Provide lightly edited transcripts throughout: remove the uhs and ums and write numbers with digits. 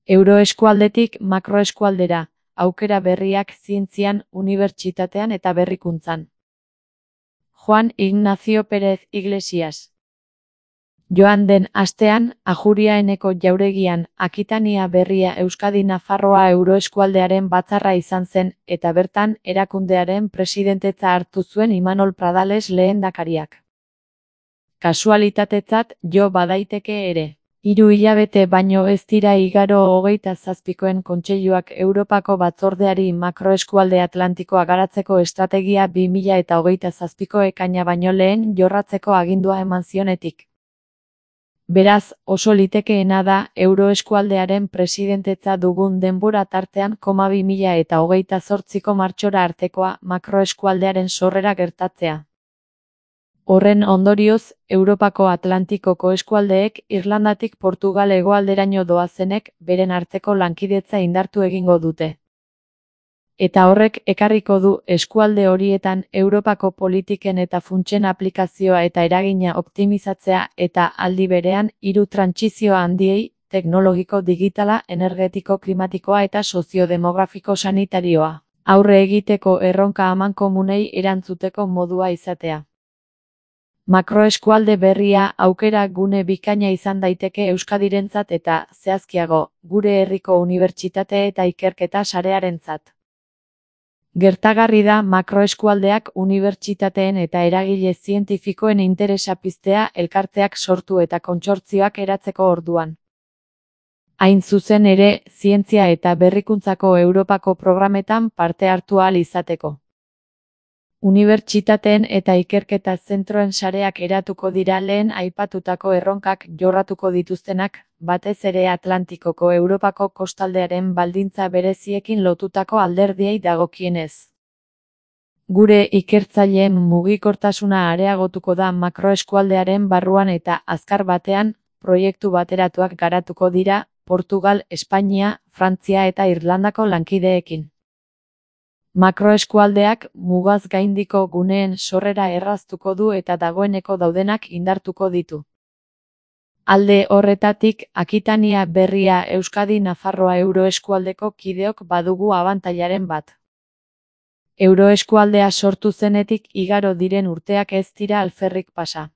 Euroeskualdetik makroeskualdera, aukera berriak zientzian, unibertsitatean eta berrikuntzan. Juan Ignacio Pérez Iglesias. Joan den astean, Ajuriaeneko jauregian, Akitania Berria Euskadi Nafarroa Euroeskualdearen batzarra izan zen, eta bertan, erakundearen presidentetza hartu zuen Imanol Pradales lehendakariak. Kasualitatetzat jo badaiteke ere. 3 hilabete baino ez dira igaro 27koen kontseiluak Europako batzordeari makroeskualde Atlantikoa garatzeko estrategia 2027ko ekaina baino lehen jorratzeko agindua eman zionetik. Beraz, oso litekeena da Euroeskualdearen presidentetza dugun denbora tartean 2028ko martxora artekoa makroeskualdearen sorrera gertatzea. Horren ondorioz, Europako Atlantikoko eskualdeek Irlandatik Portugal hegoalderaino doazenek beren arteko lankidetza indartu egingo dute. Eta horrek ekarriko du eskualde horietan Europako politiken eta funtsen aplikazioa eta eragina optimizatzea eta aldi berean 3 trantsizio handiei, teknologiko, digitala, energetiko, klimatikoa eta soziodemografiko sanitarioa, aurre egiteko erronka amankomunei erantzuteko modua izatea. Makroeskualde berria aukera gune bikaina izan daiteke Euskadirentzat eta, zehazkiago, gure herriko unibertsitate eta ikerketa sarearentzat. Gertagarri da makroeskualdeak unibertsitateen eta eragile zientifikoen interesa piztea elkarteak sortu eta kontsortzioak eratzeko orduan. Hain zuzen ere, zientzia eta berrikuntzako Europako programetan parte hartu ahal izateko. Unibertsitateen eta ikerketa zentroen sareak eratuko dira lehen aipatutako erronkak jorratuko dituztenak, batez ere Atlantikoko Europako kostaldearen baldintza bereziekin lotutako alderdiei dagokienez. Gure ikertzaileen mugikortasuna areagotuko da makroeskualdearen barruan eta azkar batean, proiektu bateratuak garatuko dira, Portugal, Espainia, Frantzia eta Irlandako lankideekin. Makroeskualdeak mugaz gaindiko guneen sorrera erraztuko du eta dagoeneko daudenak indartuko ditu. Alde horretatik, Akitania Berria Euskadi Nafarroa Euroeskualdeko kideok badugu abantailaren bat. Euroeskualdea sortu zenetik igaro diren urteak ez dira alferrik pasa.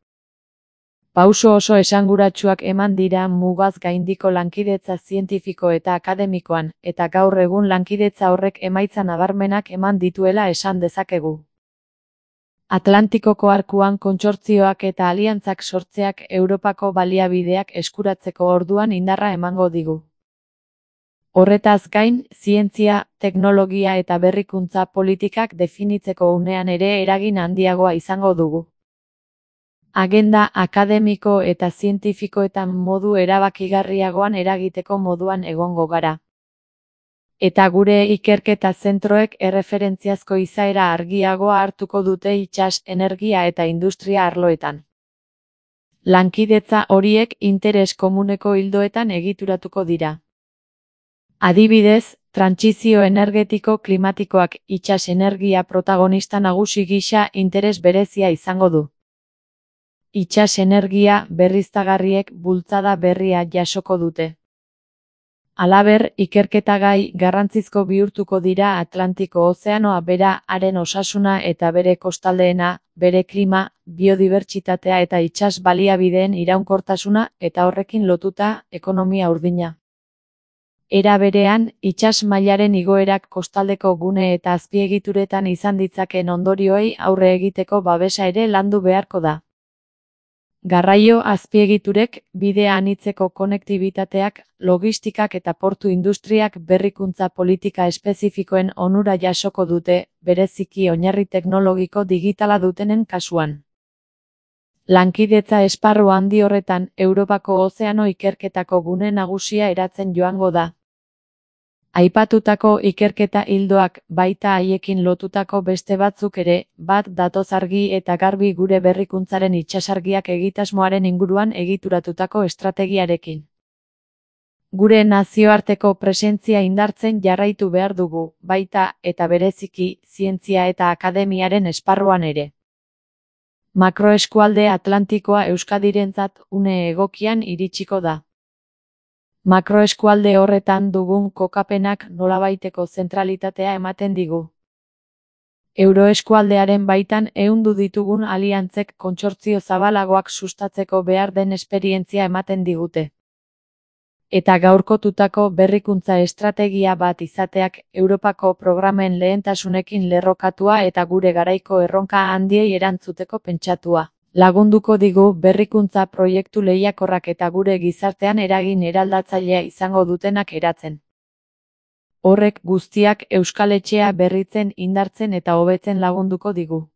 Pauso oso esanguratsuak eman dira mugaz gaindiko lankidetza zientifiko eta akademikoan, eta gaur egun lankidetza horrek emaitza nabarmenak eman dituela esan dezakegu. Atlantikoko arkuan kontsortzioak eta aliantzak sortzeak Europako baliabideak eskuratzeko orduan indarra emango digu. Horretaz gain, zientzia, teknologia eta berrikuntza politikak definitzeko unean ere eragin handiagoa izango dugu. Agenda akademiko eta zientifikoetan modu erabakigarriagoan eragiteko moduan egongo gara. Eta gure ikerketa zentroek erreferentziazko izaera argiagoa hartuko dute itsas, energia eta industria arloetan. Lankidetza horiek interes komuneko ildoetan egituratuko dira. Adibidez, trantsizio energetiko klimatikoak itsas energia protagonista nagusi gisa interes berezia izango du. Itsas energia berriztagarriek bultzada berria jasoko dute. Halaber, ikerketagai garrantzizko bihurtuko dira Atlantiko Ozeanoa bera, haren osasuna eta bere kostaldeena, bere klima, biodibertsitatea eta itsas baliabideen iraunkortasuna eta horrekin lotuta ekonomia urdina. Era berean, itsas mailaren igoerak kostaldeko gune eta azpiegituretan izan ditzakeen ondorioei aurre egiteko babesa ere landu beharko da. Garraio azpiegiturek, bide anitzeko konektibitateak, logistikak eta portu industriak berrikuntza politika espezifikoen onura jasoko dute, bereziki oinarri teknologiko digitala dutenen kasuan. Lankidetza esparru handi horretan, Europako ozeano ikerketako gune nagusia eratzen joango da. Aipatutako ikerketa ildoak baita haiekin lotutako beste batzuk ere, bat datoz argi eta garbi gure berrikuntzaren itsasargiak egitasmoaren inguruan egituratutako estrategiarekin. Gure nazioarteko presentzia indartzen jarraitu behar dugu, baita eta bereziki, zientzia eta akademiaren esparruan ere. Makroeskualde Atlantikoa Euskadirentzat une egokian iritsiko da. Makroeskualde horretan dugun kokapenak nolabaiteko zentralitatea ematen digu. Euroeskualdearen baitan ehundu ditugun aliantzek kontsortzio zabalagoak sustatzeko behar den esperientzia ematen digute. Eta gaurkotutako berrikuntza estrategia bat izateak Europako programen lehentasunekin lerrokatua eta gure garaiko erronka handiei erantzuteko pentsatua lagunduko digu berrikuntza proiektu lehiakorrak eta gure gizartean eragin eraldatzailea izango dutenak eratzen. Horrek guztiak Euskal Etxea berritzen, indartzen eta hobetzen lagunduko digu.